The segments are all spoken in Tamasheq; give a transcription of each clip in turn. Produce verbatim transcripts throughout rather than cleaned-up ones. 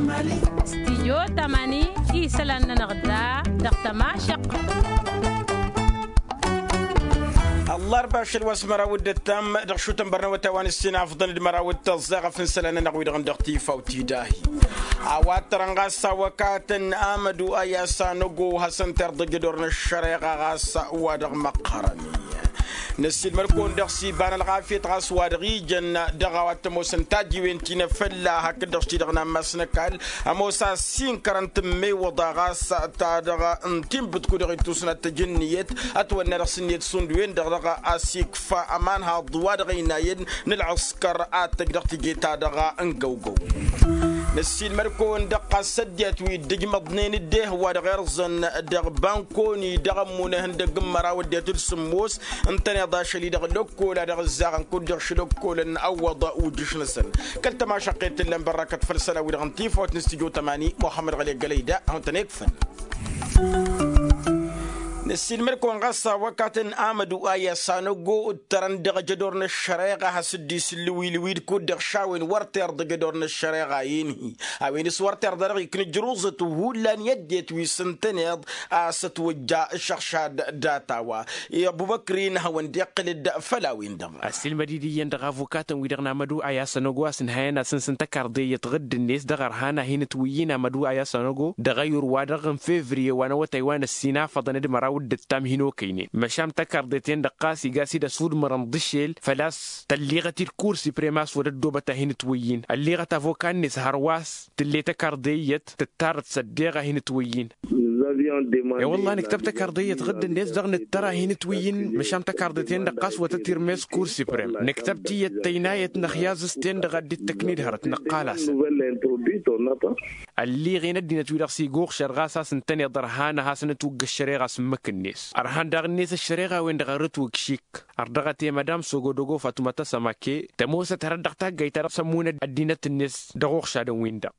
Stijyo tamani isălan-nănăɣ da dăɣ-tămašăqq. Ăllarba ašăl wa s-măraw d-ǝttam dăɣ-išutăn bărnăwăt a-wa n-ǝssin afḍăn d-măraw d-tăẓẓeɣăf n-isălan-nănăɣ wi-dăɣ n-dăɣ-tifawt idahi. A-wa t-tărănɣas a wăkatăn amădu a i-asăn ogo hasăn-t-irḍăj ădor n-ăššăreɣa ɣas wa dăɣ-măqqărăn-i. Năssiilmăd-kăwăn dăɣ-s iba n-ălɣafyăt ɣas wa dăɣ-ijăn dăɣ-a-wa t-ămoosăn tajiwen ti n-efălla hakd-dăɣ s-ti-dăɣ n-ammas n-ăkall. Ămoos a ăssinkărăn tǝmmewăḍa ɣas ta dăɣ-n tinbǝtku dăɣ-ittus n-ad-tăj ǝnniyăt ătwănna dăɣ-s ǝnniyăt šund-wen-dăɣ dăɣ-a-s ikfa ămanhaḍ wa dăɣ-ăynayăn n-ălɣǝskăr ad-tăj dăɣ-teje-ta-dăɣ n-găwgăw. Năssiilmăd-kăwăn dăɣ-ɣas ăddinăt wi dd-ǝjmăḍnen dd-ehăwwa dăɣ-irẓăn dăɣ-bankoni dăɣ-ămmunăhăn dăgg-n măraw ăddinăt d-sǝmmos ǝntăneḍ ašăl-i dăɣ-lăkkola dăɣ-ǝzzaɣăn kud-dăɣ šăl ăkkolăn ăwwăḍ ujǝš-năsăn. Kăl-tămašăqqet t-ǝllan bărrăkăt făll-isălan-wi-dăɣ n-tifawt n-stujo tămani muhammăd ɣăli ăggălăy da a hawăn-tăn-ekfăn. Năssiilmăd-kăwăn ɣas a wăkatăn amădu a i-asanogo ǝttărăn dăɣ-ejădor n-ăššăreɣa has-dd-isǝllǝw ilwid kud-dăɣ šawen wăr t-irḍăj ădor n-ăššăreɣa-in-hi. A-wen s-wăr t-irḍa dăɣ-ikna ǝjruẓăt hullan i-ăddinăt wi s-ǝntăneḍ a-s ătwăjja ǝššăɣšad data-wa. I-ăbubăkr-in hawăn-dd-iqqǝl-dd făll-a-wen-dăɣ. Ăssiilmăd-dd iyyăn dăɣ-avukatăn-wi-dăɣ n-amădu a i-asănogo a-s ǝnhayăn asǝns n-tăkarḍe iyyăt ɣǝdd-net dăɣ-ărhan a hin-ǝtwǝyyǝn amădu a i-asănogo dăɣ-ayǝr-wa-dăɣ n-fevriye wa n-awătay wa n-ăssinafăḍăn d-măraw d-ǝttam hin-okăynen măšan tăkarḍe-ten-dăɣ ɣas iga a-s dd-ăsudmărăn d-ašel făl-a-s tălliɣăt-dd kur siprem a-s wăr ăddoobăt a hin-ǝtwǝyyǝn ălliɣăt avoka-net hărwa a-s tǝlle tăkarḍe iyyăt tǝttarăt s-ăddeɣ a hin-ǝtwǝyyǝn. E-wălla nǝktăb tăkarḍe iyyăt ɣǝdd-net dăɣ-nǝttăr a hin-ǝtwǝyyǝn măšan tăkarḍe-ten-dăɣ ɣas wăr tăt-irmez kur siprem nǝktăb tiyyăt tăynayăt n-axyaẓ-s-ten-dăɣ a dd-ittăkn-dd hărăt nǝqqal-asăn. Ălliɣen ăddinăt-wi-dăɣ s-iga uɣšad ɣas a-s ǝntăneḍ ărhan a hasăn-ătwǝgg ăššăreɣa s-ǝmmǝk-net ărhan daɣ-net ăššăreɣa-wen-dăɣ ărrǝtwǝgg šik. Ărdăɣăt i-madam sogodogo fatuma tăsămake tămoosăt hărăt dăɣ-taggayt-ta-dăɣ s-ămmunăd ăddinăt-net dăɣ-uɣšadăn-win-dăɣ.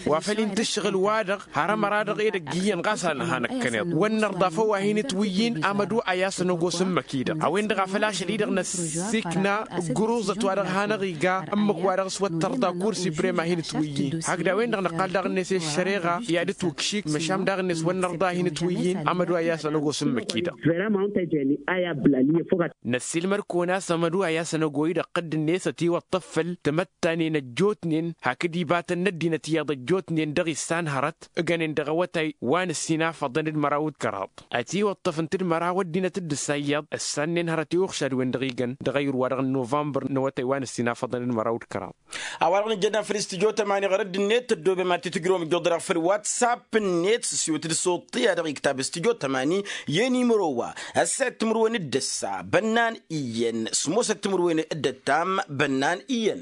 Wa făl-in-tǝššăɣǝl-wa-dăɣ har ămăra-dăɣ edăgg iyyăn ɣas a nǝha năkkăneḍ wăr nărḍa făw a hin-ǝtwǝyyǝn amădu a i-asăn ăgos ǝmmǝk-i-dăɣ a-wen-dăɣ a făl ašăl-i-dăɣ năsikna ǝggǝruẓăt wa dăɣ-hanăɣ-iga ǝmmǝk-wa-dăɣ s-wăr tărḍa kur siprem a hin-ǝtwǝyyǝn hakd a-wen-dăɣ năqqal daɣ-net i-ăššăreɣa i-ad-ǝtwǝkšik măšan daɣ-net wăr nărḍa a hin-ǝtwǝyyǝn amădu a i-asăn ăgos ǝmmǝk-i-dăɣ. Năssiilmăd-kăwăn a-s amădu a i-asăn ăgo-i-dăɣ ɣǝdd-net ătiwăṭṭăf făll-tamăttanen ăjjootnen hakd ibatăn n-ăddinăt iyyăḍ ăjjootnen dăɣ-issan hărăt ǝgănen dăɣ-awătay wa n-ăssinafăḍăn d-măraw d-kăraḍ. Ătiwăṭṭăfăn-t d-măraw ăddinăt d-ǝssa iyyăḍ ǝssannen hărăt i-uɣšad-wen-dăɣ igăn dăɣ-ayǝr-wa-dăɣ n-novămbăr n-awătay wa n-ăssinafăḍăn d-măraw d-kăraḍ. A-wa-dăɣ nǝjjădna făll-studyo tămani ɣur-dd-net tăddoobem ad-t-tǝjrǝwăm ǝjjuḍ-dăɣ făll-whatsapp-net s-siwǝt d-suṭṭi-a-dăɣ iktab studyo tămani i-enimăro wa ăssayăt timǝrwen d-ǝssa bănnan iyyăn s-mosăt timǝrwen d-ǝttam bănnan iyyăn.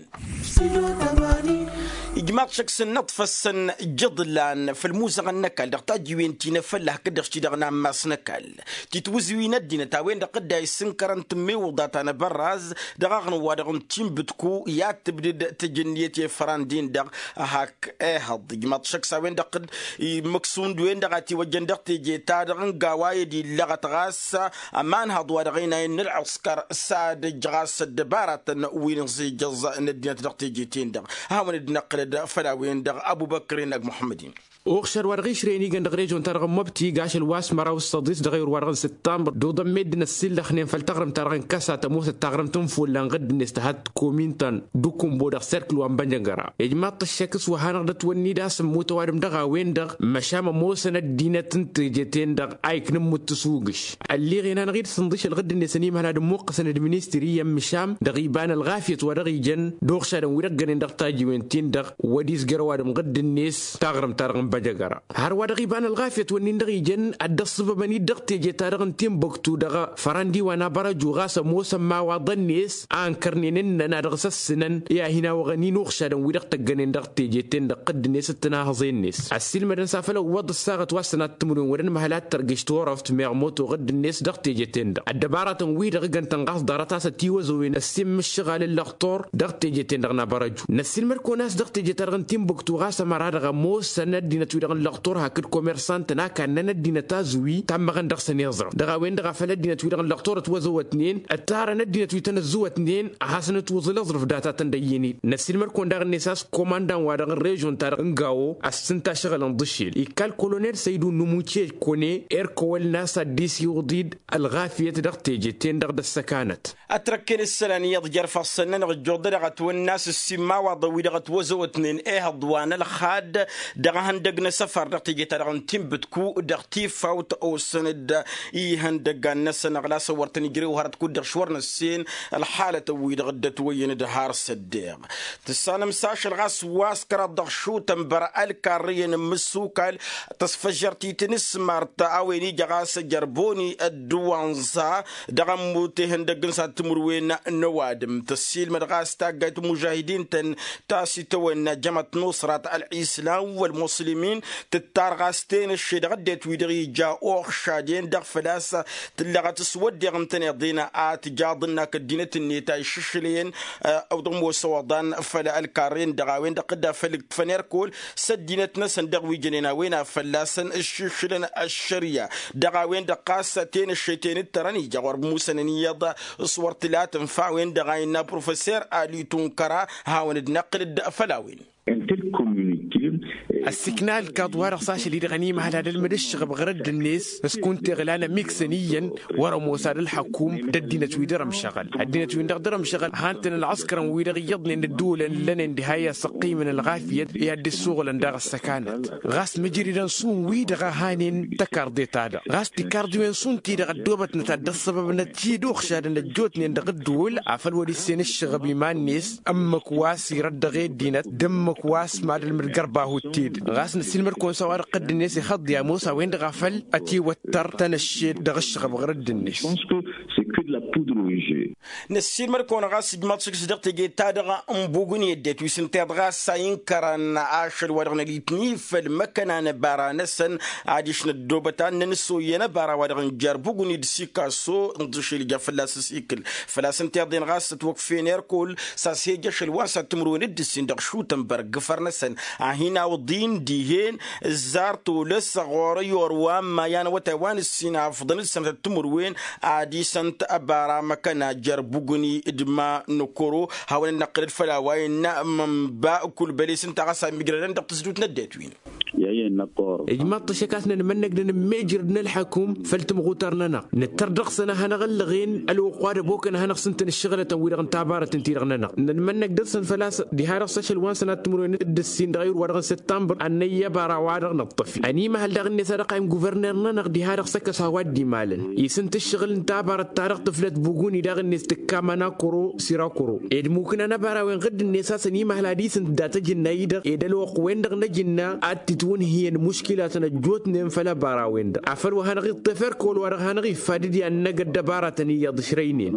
Ijmaḍ šăkk s-ǝnnăḍfăssăn jǝḍlan făll-imuzăɣăn n-ăkall dăɣ-tajǝwen ti n-efălla hakd-dăɣ s-ti-dăɣ n-ammas n-ăkall titwǝzǝwi n-ăddinăt a-wen-dăɣ dd-a issǝnkărăn tǝmmewǝḍa ta n-abărraz dăɣ-aɣnǝw-wa-dăɣ n-tinbǝtku i-ad-tǝbdǝd tǝjǝnnǝyăt i-ifăran-din-dăɣ. Hak ehăḍ ijmaḍ šăkk s-a-wen-dăɣ dd-immǝk šund-wen-dăɣ a tiwăjjăn dăɣ-teje-ta-dăɣ n-gawa i-dd-illăɣăt ɣas ămanhăḍ wa dăɣ-ăynayăn n-ălɣǝskăr s-ad-ǝjj ɣas ăddăbaratăn wi n-iẓijăẓ n-ăddinăt dăɣ-teje-ten-dăɣ. Ad-hawăn-dd-năqqǝlăd făll-a-wen-dăɣ ăbubăkr-in ăgg muḥămmăd-in. Uɣšad wa dăɣ-išrăyăn igăn dăɣ-režon-ta-dăɣ n-mobti iga ašăl wa s-măraw s-săḍis dăɣ-ayǝr wa-dăɣ n-sǝttamr d-uḍămme dd-năssillăxnen făll-taɣrǝmt-ta-dăɣ n-kăsa tămoosăt taɣrǝmt n-ifullan ɣǝdd-net tăhăt komin ta n-dukumbo dăɣ-serkǝl wa n-bănjăgăra. Ijmaḍ-t ăššek s-wa hanăɣ-dd-ătwănni d-asǝmmut ăwadǝm dăɣ-a-wen-dăɣ măšan ămoosăn ăddinăt n-teje-ten-dăɣ a ikna ǝmmut tǝsugǝš. Ălliɣen-anăɣ-dd sǝnḍǝšăl ɣǝdd-net ănimhăl ad-ǝmmuqqăsăn d-ministri iyyăn măšan dăɣ-iba n-ălɣafyăt wa dăɣ-ijăn d-uɣšadăn wi dăɣ-gănen dăɣ-tajiwen-tin-dăɣ wăr-izgăr ăwadǝm ɣǝdd-net taɣrǝmt-ta-dăɣ n-băjăgăra. Hărwa-dăɣ iba n-ălɣafyăt wăr nin-dăɣ ijăn ad-dd-ăṣṣǝbăbăn-dd dăɣ-teje-ta-dăɣ n-tinbăktu dăɣ-fărandi wa n-abărăju ɣas ămoosăn imawaḍăn-net a ǝnkărnen ǝnnăn a dăɣ-s ăssǝnăn i-ad-hin-awăɣ ănin uɣšadăn wi dăɣ-tăggănen dăɣ-teje-ten-dăɣ ɣǝdd-net d-tinahăẓe-net ăssiilmădăn s-afăl ăwwăḍ ǝssaɣăt wa s-sănat timǝrwen wăr-ănmăhăl ad-tărgǝš turăft meɣ moto ɣǝdd-net dăɣ-teje-ten-dăɣ ăddăbarătăn-wi-dăɣ ǝggăn-tăn ɣas ḍarăt a-s ătiwăzowen ăssimmǝššăɣal n-lăxtur dăɣ-teje-ten-dăɣ n-abărăju. Năssiilmăd-kăwăn a-s dăɣ-teje-ta-dăɣ n-tinbăktu ɣas ămăra-dăɣ Ămoosăn ăddinăt-wi-dăɣ n-lăɣtor hakd komersantăn a kannăn ăddinăt azǝwi tammăɣăn dăɣ-săn iẓrăf dăɣ-a-wen-dăɣ a făl ăddinăt-wi-dăɣ n-lăɣtor ătwăzăwătnen ǝttarăn ăddinăt wi tăn-ăzzăwătnen ad-hasăn-ǝtwǝẓǝl iẓrǝf datatăn d-ăyyăned. Năssiilmăr-kăwăn daɣ-net a-s komandan-wa-dăɣ n-režon-ta-dăɣ n-gawo a-s tǝnta ašăɣǝl n-ḍǝšel ikka ălkolonel săydu n-imuce kone erkăwăl n-a-s addis iwǝḍ-dd ălɣafyăt dăɣ-teje-ten-dăɣ d-ăssăkanăt. Ătrăkken ǝssălan iyyăḍ jer-ifassăn-nănăɣ ǝjjuḍ-dăɣ ătwănn'-as ǝssin imawaḍăn-wi-dăɣ ătwăzăwătnen ehăḍ wa n-ălxad dăɣ-ehăndăg n-asăfar dăɣ-teje-ta-dăɣ n-tinbǝtku dăɣ-tifawt osăn-dd ihăndăggan-năsăn ăɣlas ăwwăr tăn-ijrew hărăt kud-dăɣ šwăr n-ăssen ălxalătăn-wi-dăɣ dd-ătwăyyăn d-har s-ăddeɣ. Tǝssanăm s-ašăl ɣas wa s-kăraḍ dăɣ-išutăn băr-ălkarrăyăn n-imǝssukal tăsfăžžăr-t i-tinǝsmart a-wen ija ɣas ăjărboni ădduwanẓa dăɣ-ămmut ihăndăgg n-sad timǝrwen n-ăwadǝm tăssiilmăd ɣas taggayt n-imužahidin-tăn ta s-itawănna jămăt n-usrat ălɣislam wăl-muslimin tǝttar ɣas tenăšše dăɣ-ăddinăt-wi-dăɣ ija uɣšad-en-dăɣ făl-a-s tǝllăɣăt s-wădden ǝntăneḍ-en a tǝjaḍ ǝnn'-ak ăddinăt-net a iššǝšlăyăn. Ăwdăɣ ămoos ăwăḍan făll-ălkarre-en-dăɣ a-wen-dăɣ dd-afăl ǝkfăn erkol s-ăddinăt-năsăn dăɣ-wi jănen a-wen a fălla-săn ǝššǝšǝlăn ăššărya dăɣ-a-wen-dăɣ ɣas tenăššet-en ǝttărăn ija ɣur-musănăn iyyăḍ s-wăr tǝlatăn făll-a-wen-dăɣ a innă professor ali tunkăra hawăn-dd-năqqǝl-dd făll-a-wen. Ăssiikna ălkaḍ-wa-dăɣ s-ašăl-i-dăɣ ănimăhăl ad-ălmǝd ǝššăɣăb ɣur-ădd-net s-kunta iɣlan ămikǝsăn iyyăn wăr-ămoos ad-ălxăkum d-ăddinăt wi dăr-ămšăɣăl ăddinăt-win-dăɣ dăr-ămšăɣăl han-tăn ălɣăskărăn-wi-dăɣ iyyăḍnen d-ǝddǝwǝlăn ǝllănen diha i-asăqqimăn ălɣafyăt i-ad-dd-issuɣǝlăn daɣ ăssăkanăt. Ɣas mǝjridăn šund wi-dăɣ a hanen tăkarḍe-ta-dăɣ ɣas tikarḍiwen šund-ti-dăɣ ăddoobătnăt ad-dd-ăṣṣăbăbnăt i-dd-uɣšadăn ăjjootnen dăɣ-ǝddǝwǝl afăl wăr-issen ǝššăɣăb iman-net ǝmmǝk wa s-irăt dăɣ-e ăddinăt d-ǝmmǝk wa s-mad-ălmǝd gărbahu t-dd ɣas năssiilmăd-kăwăn s-a-wa-dăɣ ădd-net ixăḍḍi ămoos a-wen-dăɣ a făl ătiwăttăr tanăššet dăɣ-ǝššăɣăb ɣur-dd-net. Năssiilmăd-kăwăn ɣas ǝjmaḍ šǝks dăɣ-teje-ta-dăɣ n-bugǝn i-ăddinăt wi s-ǝnta iḍɣa a-s a inkărăn ašăl wa dăɣ-nălitni făll-măkkăna n-ăbara-năsăn adiš năddoobăt ad-năn-soyăn ăbara-wa-dăɣ n-jer-bugǝn i-dd-sikaso n-ḍǝšel ija fălla-s ăsikǝl făl-a-s ǝnta iḍen ɣas ătwăkfen erkol s-a-s hejăšăl wa n-sad timǝrwen d-ǝssin dăɣ-išutăn băr gǝfăr-năsăn a hin-awǝḍin dihen ǝzzar tolăs ɣur-i orwa n-imayy a n-awătay wa n-ǝssin afǝḍăn d-sănătăt timǝrwen ad-isăn-t ăbara măkăna jer-bugǝni d-ma nǝkoro hawăn-dd-năqqǝlăd făll-a-wa innă mănba. Kul băle s-ǝnta ɣas a mijrădăn dăɣ-tǝzdut n-ăddinăt-win. Ijmaḍ-t ăššăk a-s nănmănnăg d-anǝmmejrăd n-ălḥăkum făll-tămɣutăr-nănăɣ nǝttăr dăɣ-săn a hanăɣ-ǝllăɣen ălwăqq wa d-ăbokăn a hanăɣ-sǝntăn ǝššăɣǝlătăn-wi-dăɣ n-tabarăt ǝnta-i-dăɣ-nănăɣ. Nănmănnăg dăr-săn făl-a-s diha-dăɣ s-ašăl wa n-sănat timǝrwen d-ǝssin dăɣ-ayǝr-wa-dăɣ n-săttămbăr ad-năyy ăbara wa dăɣ-nǝṭṭăf-i ănimăhăl daɣ-net a dăɣ-qayǝm guvărner-nănăɣ diha-dăɣ s-ăkkăs a-wa dd-imalăn isǝnt ǝššăɣǝl n-tabarăt-ta-dăɣ tǝflăt buguni daɣ-net tǝkka mănakoro s-irakoro ed mukǝnăn ăbara-wen ɣǝdd-net a-s ănimăhăl ad-isǝnt dat-ajǝnna-i-dăɣ ed ălwăqq-wen-dăɣ n-ajǝnna ad-t-itwǝnhǝyăn muškilatăn ăjjootnen făll-ăbara-wen-dăɣ afăl wa hanăɣ-iṭṭef erk wăla wa-dăɣ hanăɣ-iffad d-i ad-năgg ăddăbaratăn iyyăḍ ǝšrăynen.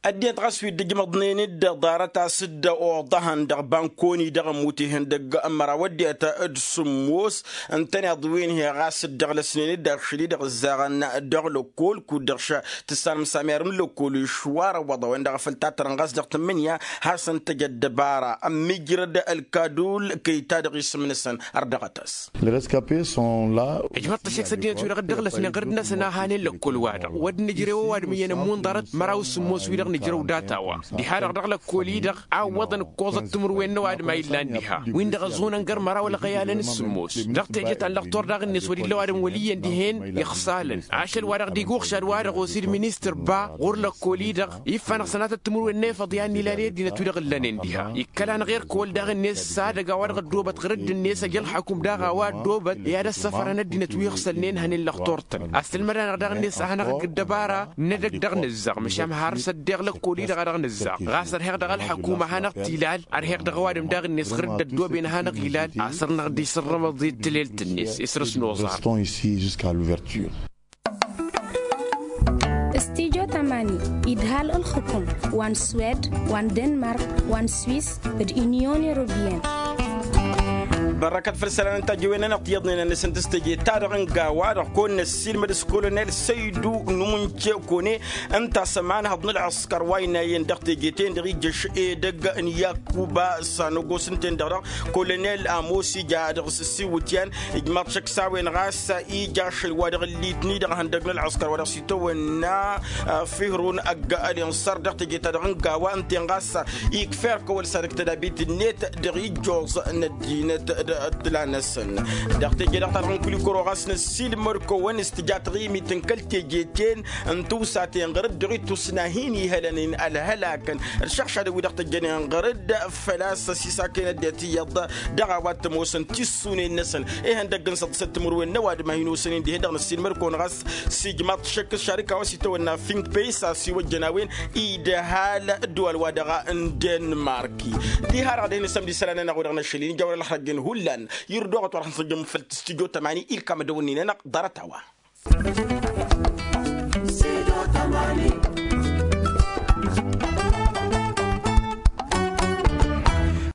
Ăddinăt ɣas wi dd-ǝjmăḍnen-dd ḍarăt a-s dd-oḍăhăn dăɣ-bankoni dăɣ-ămmut ihăndăgg n-măraw ăddinăt d-sǝmmos ǝntăneḍ wi n-hi ɣas dd-ăɣlăsnen-dd ašăl-i-dăɣ ǝzzaɣăn dăɣ-lăkkol kud-dăɣ tǝssanăm s-amyar n-lăkkol išwar ăwwăḍ a-wen-dăɣ a făl tattărăn ɣas dăɣ-tǝmmǝnǝya hasăn-tăj ăddăbara ămmijrăd ălkadul kăy-ta-dăɣ isǝm-năsăn. Ărdăɣăt-as. Ijmăḍ-t ăššăk s-ăddinăt-wi-dăɣ dd-ăɣlăsnen ɣǝrǝd-năsăn a hanen lăkkol-wa-dăɣ wăr dd-nǝjrew ăwadǝm iyyăn ămmun ḍarăt măraw s-sǝmmos wi-dăɣ nǝjrăw data-wa diha-dăɣ dăɣ-lăkkol-i-dăɣ a ǝwwăḍăn ǝkkoẓăt timǝrwen n-ăwadǝm a illan diha win-dăɣ ăẓunăn găr măraw ălɣăyalăn s-sǝmmos dăɣ-teje ta n-lăqtor daɣ-net wăr illa ăwadǝm wăl' iyyăn dihen. Iɣsalăn ašăl-wa-dăɣ dd-iguɣšad wa-dăɣ osid ministăr ba ɣur-lăkkol-i-dăɣ iffan-dăɣ sănatăt timǝrwen n-efăḍ i-ad-nilal i-ăddinăt wi-dăɣ ǝllănen diha. Ikkăl-anăɣ erk wăl-daɣ-net s-ad-ăgg a-wa-dăɣ ăddoobăt ɣǝrǝdd-net ăj ălxăkum daɣ a-wa ăddoobăt i-ad-ăssăfărăn ăddinăt wi ǝxsălnen hănen lăxtur-tăn. Ăssălmăd-anăɣ daɣ-net a hanăɣ-ǝgg ăddăbara n-edăgg dăɣ-nǝzzaɣ măšan har s-ăddeɣ lăkkol-i-dăɣ a dăɣ-nǝzzaɣ ɣas ărheɣ dăɣ-ălxăkum a hanăɣ-t-ilal ărheɣ dăɣ-ăwadǝm daɣ-net ɣǝrǝdd ăddooben a hanăɣ-ilal. A săr-năɣ dd-isǝrrǝmăḍ i-tǝlelt-net isrǝs n-oẓar. Studyo tămani idhal ǝlxǝkum wa n-swed wa n-denmark wa n-swis d-inyon europeyăn. Bărrăkăt făll-isălan n-tajăwen-nănăɣ tiyyăḍnen-năsăn d-s teje-ta-dăɣ n-gawa-dăɣ kăwăn-năssiilmăd s-kolonel săydu n-umǝnce kăwăn-e ǝnta a-s ămanhăḍ n-ălɣăskăr wa ăynayăn dăɣ-teje-ten-dăɣ ijjăš edăgg n-yakuba s-anăgos ǝnta-en-dăɣ dăɣ-kolonel amos ija dăɣ-s ăssiwǝtyan. Ijmaḍ šăkk s-a-wen ɣas ija ašăl wa dăɣ-ǝllitni dăɣ-ihăndăg n-ălɣăskăr wa dăɣ-s itawănna fihrun ăgg-ălinṣăr dăɣ-teje-ta-dăɣ n-gawa ǝnta-en ɣas ikf'-e ălkăwăl s-ad-ǝktăd abit-net dăɣ-ijjuẓ n-ăddinăt d-ăddăla-năsăn. Dăɣ-teje-dăɣ ta dăɣ-nǝkǝl ikăro ɣas năssiilmăd-kăwăn s-tǝja taɣimit n-kăl-teje-ten n-tiwsaten ɣur-dd dăɣ-ittusna hin-ihălăn ălhălakăn ălšăɣšadăn wi-dăɣ tăjjănen ɣur-dd făl-a-s ăsisaken ăddinăt iyyăḍ dăɣ-a-wa t-ămoosăn tissunen-năsăn. Ihăndăgg n-săḍsăt timǝrwen n-ăwadǝm a hin-osăn-in dihen-dăɣ năssiilmăd-kăwăn ɣas s-ijmaḍ šăkk s-šarika wa s-itawănna fingpey s-asiwăjjăn a-wen idhal ădduwal-wa-dăɣ n-denmarki. Diha-dăɣ dihen-sămd isălan-nănăɣ wa dăɣ-năšăl-in ija wăr-ălxăr ăjjăn hullan irduɣăt wa dăɣ-năsăjjăn făll-tǝstǝjo tămani ilkam ăddăwănni-nănăɣ ḍarăt-a-wa.